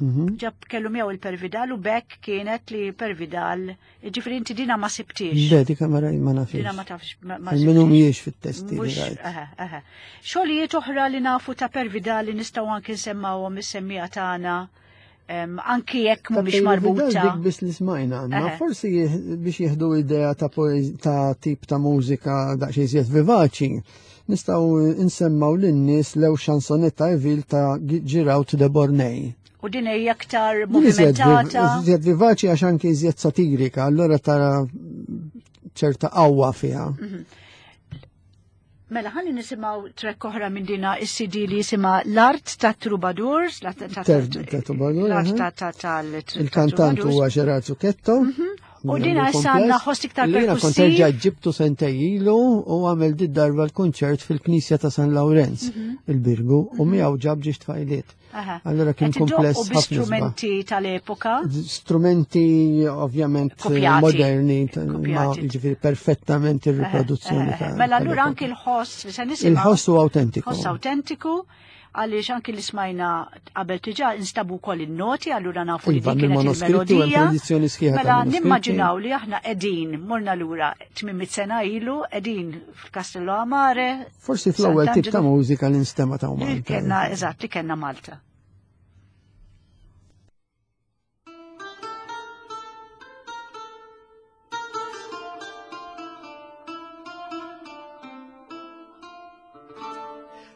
Mhm. Ġab kellu miegħu il-Pervidal u bekk kienet li Pervidal, ġifri inti dina ma sibtix. Le, dika ma ma nafx. Dina ma tafx. Minnu mhijiex fit-testi. Xogħlijiet oħra li nafu ta' Pervidal li nistgħu anki nsemmawhom is-semmija tagħna anki jekk mhumiex marbuta. Dik biss li smajna għandna, forsi biex jieħdu idea ta' ta' tip ta' mużika daqsxejn iżjed vivaċi, nistgħu nsemmaw lin-nies lew xansonetta Evil ta' Giraud de Bornei. U din hija aktar movimentata. Iżjed vivaċi għax anki iżjed satirika, allura tara ċerta qawwa fiha. Mhm. Mela ħalli nisimgħu trek oħra minn dina is-CD li jisimha L-Art ta' Troubadours, l-art ta' tal Il-kantant huwa Gerard Zucchetto. Mhm. U dina issa għandna ħoss iktar perkussiv. Kont erġa' ġibtu sentej ilu u għamel di darba l-kunċert fil-Knisja ta' San Lawrenz, mhm. il-Birgu, u mhm. miegħu ġab ġiex tfajliet. Allora kien kumpless ħafna. Strumenti tal-epoka. Strumenti ovvjament moderni, ma jiġifieri perfettament ir-riproduzzjoni ta' Mela allura anki l-ħoss li se nisimgħu. Il-ħoss huwa autentiku. Ħoss autentiku għaliex anki li smajna qabel diġà instabu wkoll in-noti allura nafu li iva, dik kienet il-melodija. Mela nimmaġinaw li aħna qegħdin morna lura 800 sena ilu qegħdin f'Castello Amare. Forsi fl-ewwel tip ta' mużika li nstema ta' Malta. Kenna eżatt li kenna Malta.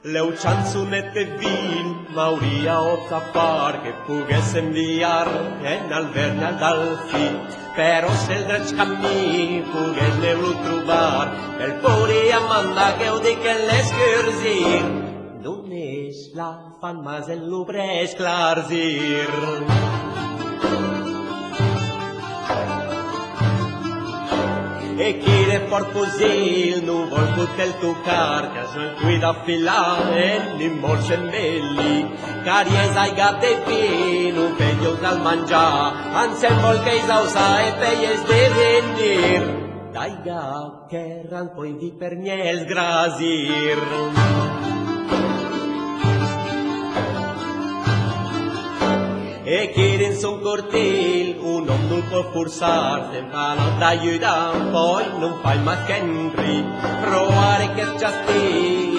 Leu chançonet de vin m'hauria optat far que pogués enviar en Alvern al Dalfí. Però si el dret camí pogués neu trobar, el podria mandar que ho dic en l'escurzir. Només la fan mas el lubre esclarzir. E chi de fort fusil no vol poter tocar, que jo el cuida filar en ni molt sembelli. Cari és aiga de vi, no feios al menjar, ens en vol que és ausa e feies de venir. D'aiga que ran poi di per miel grasir. E chi in son cortil un hom no pot forçar, se'n fa no t'ajudar, poi non fai mas che entri. Provare che chastí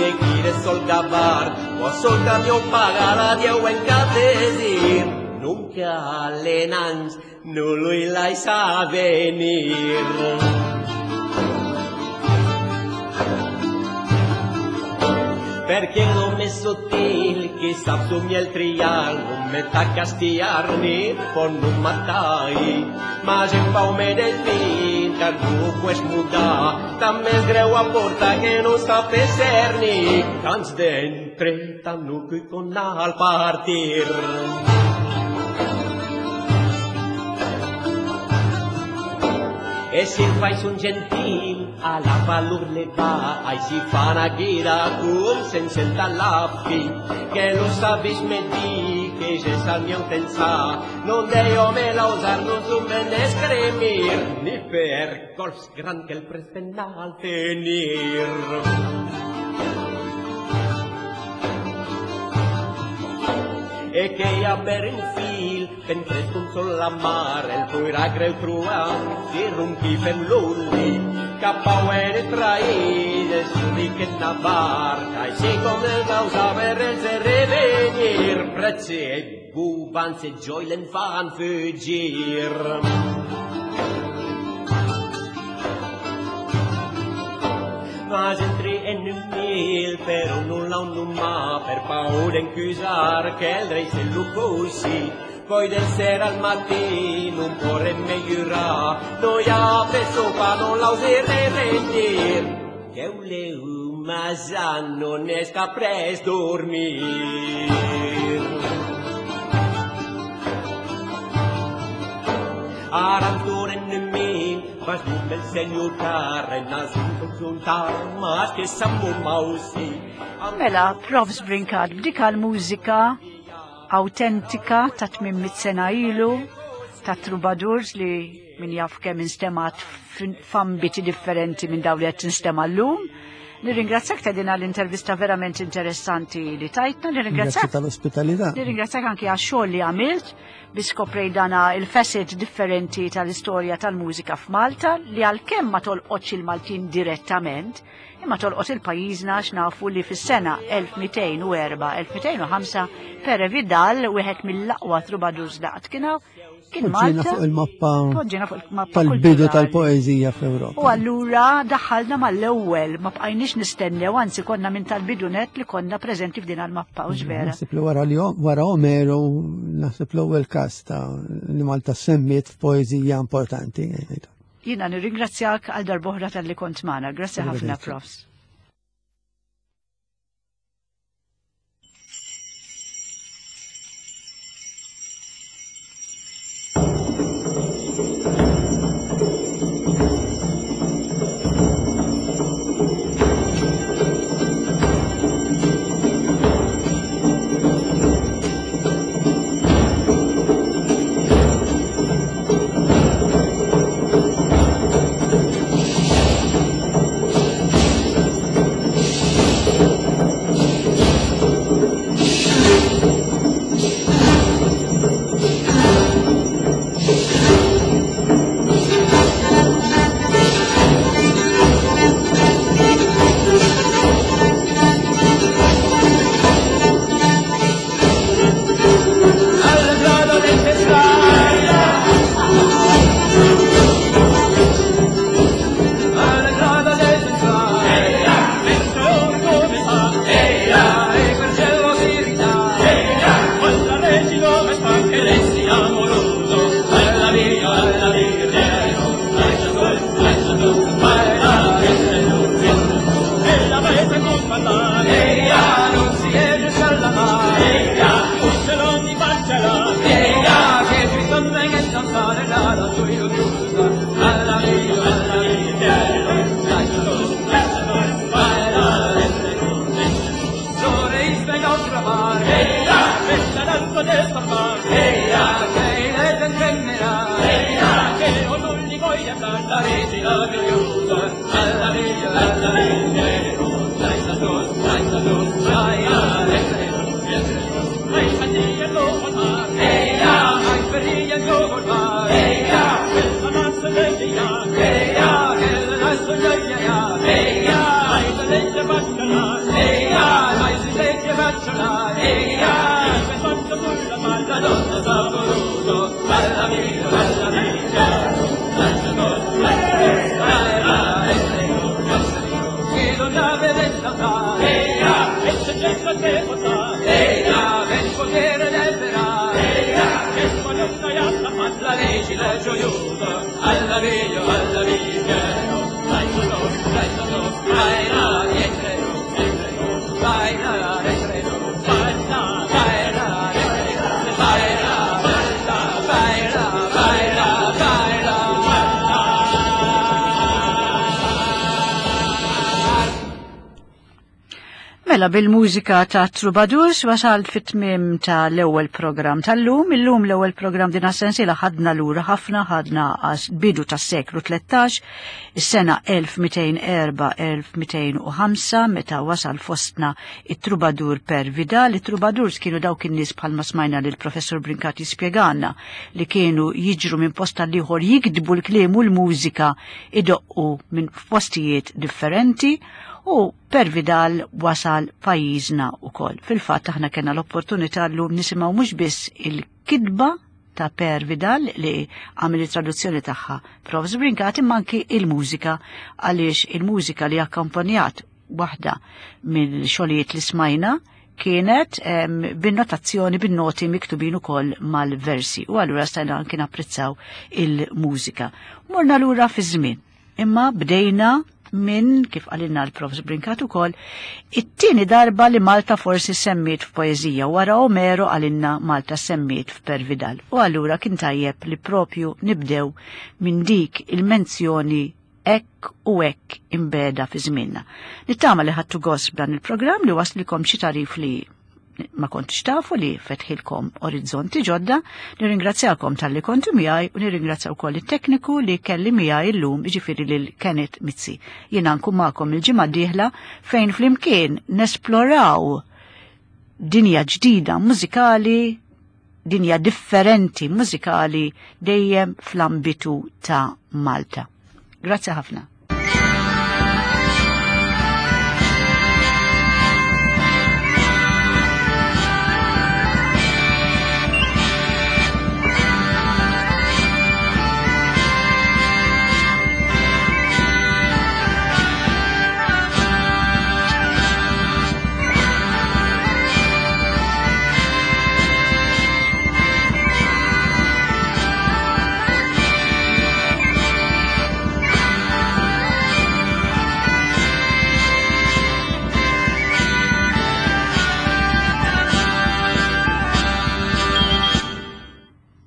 e chi de sol gavar, o sol camió pagar a Dieu en cap desir. Nunca l'enans no lo laisa venir. Perquè l'home és sutil qui sap somiar el trial, no me ta castigar ni por no matar. Mas en paume del vi, que no pues mudar, també és greu aportar que no sap ni cants d'entre tant no que con al partir. E si fais un gentil, a la valor le va, així fan a guida com s'encenta la fi, que lo sabis me di, que ja és el meu pensar, non deio me lausar, non sumen escremir, ni per colps gran que el presten al tenir. E che hi ha per un fil, ben prest un sol la mar, el poirà greu trobar, si ronqui fem l'oli, cap a uere traïd, és ric en la barca, així com el gausa per el se revenir, prezzi e bubans e gioi l'en fan fugir. Mas entri en un mil, però non l'ha un ma, per paura incusar che el rei se lo così. Poi del sera al mattino non porre migliorà, noi ha preso pa non l'auserei rendir. Che un leu ma non es capres dormir. Aranturen min, vas el senyor Carrenas, mas que sammu mawsi. Mela, Profs Brincat, b'dik mużika autentika ta' 800 sena ilu, ta' troubadours li min jaf kemm instemat f'ambiti differenti minn dawn li qed tinstema' llum. Nirringrazzjak ta' din l-intervista verament interessanti li tajtna, nirringrazzjak tal-ospitalità. Nirringrazzjak anki għax-xogħol li għamilt biex skoprej dana il-facet differenti tal-istorja tal-mużika f'Malta li għalkemm ma tolqotx il-Maltin direttament, imma tolqot il-pajjiżna għax nafu li fis-sena 1204-1205 Pere Vidal, wieħed mill-aqwa troubadours daqt kien kien Malta. fuq il-mappa tal-bidu tal-poeżija fl-Ewropa. U allura daħħalna mal-ewwel, ma bqajniex nistennew, anzi konna minn tal-bidu net li konna preżenti f'din il-mappa, u vera. Naħseb li wara Omeru, naħseb l-ewwel każ ta' li Malta semmiet f'poeżija importanti. Jiena nirringrazzjak għal darb'oħra talli kont magħna. Grazzi ħafna, Profs. Mela bil-mużika ta' Troubadours wasal fit-tmiem ta' l-ewwel programm tal-lum. Illum l-ewwel programm din sensiela ħadna lura ħafna ħadna għas bidu tas-seklu 13, is-sena 1204-1205 meta wasal fostna it-Troubadour per Vidal. It-Troubadours kienu dawk in-nies bħalma smajna lil professur Brincati spjegana li kienu jiġru minn post għal ieħor jikdbu l-kliem u l-mużika idoqqu minn postijiet differenti u Per Vidal wasal pajjiżna ukoll. Fil-fatt aħna kellna l-opportunità llum nisimgħu mhux biss il-kitba ta' Per Vidal li għamel it-traduzzjoni tagħha Prof. Brincat imma anki il-mużika għaliex il-mużika li akkompanjat waħda mill-xogħlijiet li smajna kienet bin-notazzjoni bin-noti miktubin ukoll mal-versi u allura stajna anki napprezzaw il-mużika. Morna lura fi żmien imma bdejna minn, kif qalilna l-Prof. Brincat ukoll, it-tieni darba li Malta forsi semmiet f'poeżija wara Omero qalilna Malta semmiet f'Per Vidal. U allura kien tajjeb li propju nibdew minn dik il-menzjoni hekk u hekk imbeda fi żmienna. Nittama li ħadtu gost b'dan il-programm li waslikom xi tarif li ma kontx tafu li fetħilkom orizzonti ġodda, nirringrazzjakom talli kontu miegħi u nirringrazzja wkoll it-tekniku li kelli miegħi llum jiġifieri lil Kenneth Mizzi. Jiena nkun magħkom il-ġimgħa d-dieħla fejn flimkien nesploraw dinja ġdida mużikali, dinja differenti mużikali dejjem fl-ambitu ta' Malta. Grazzi ħafna.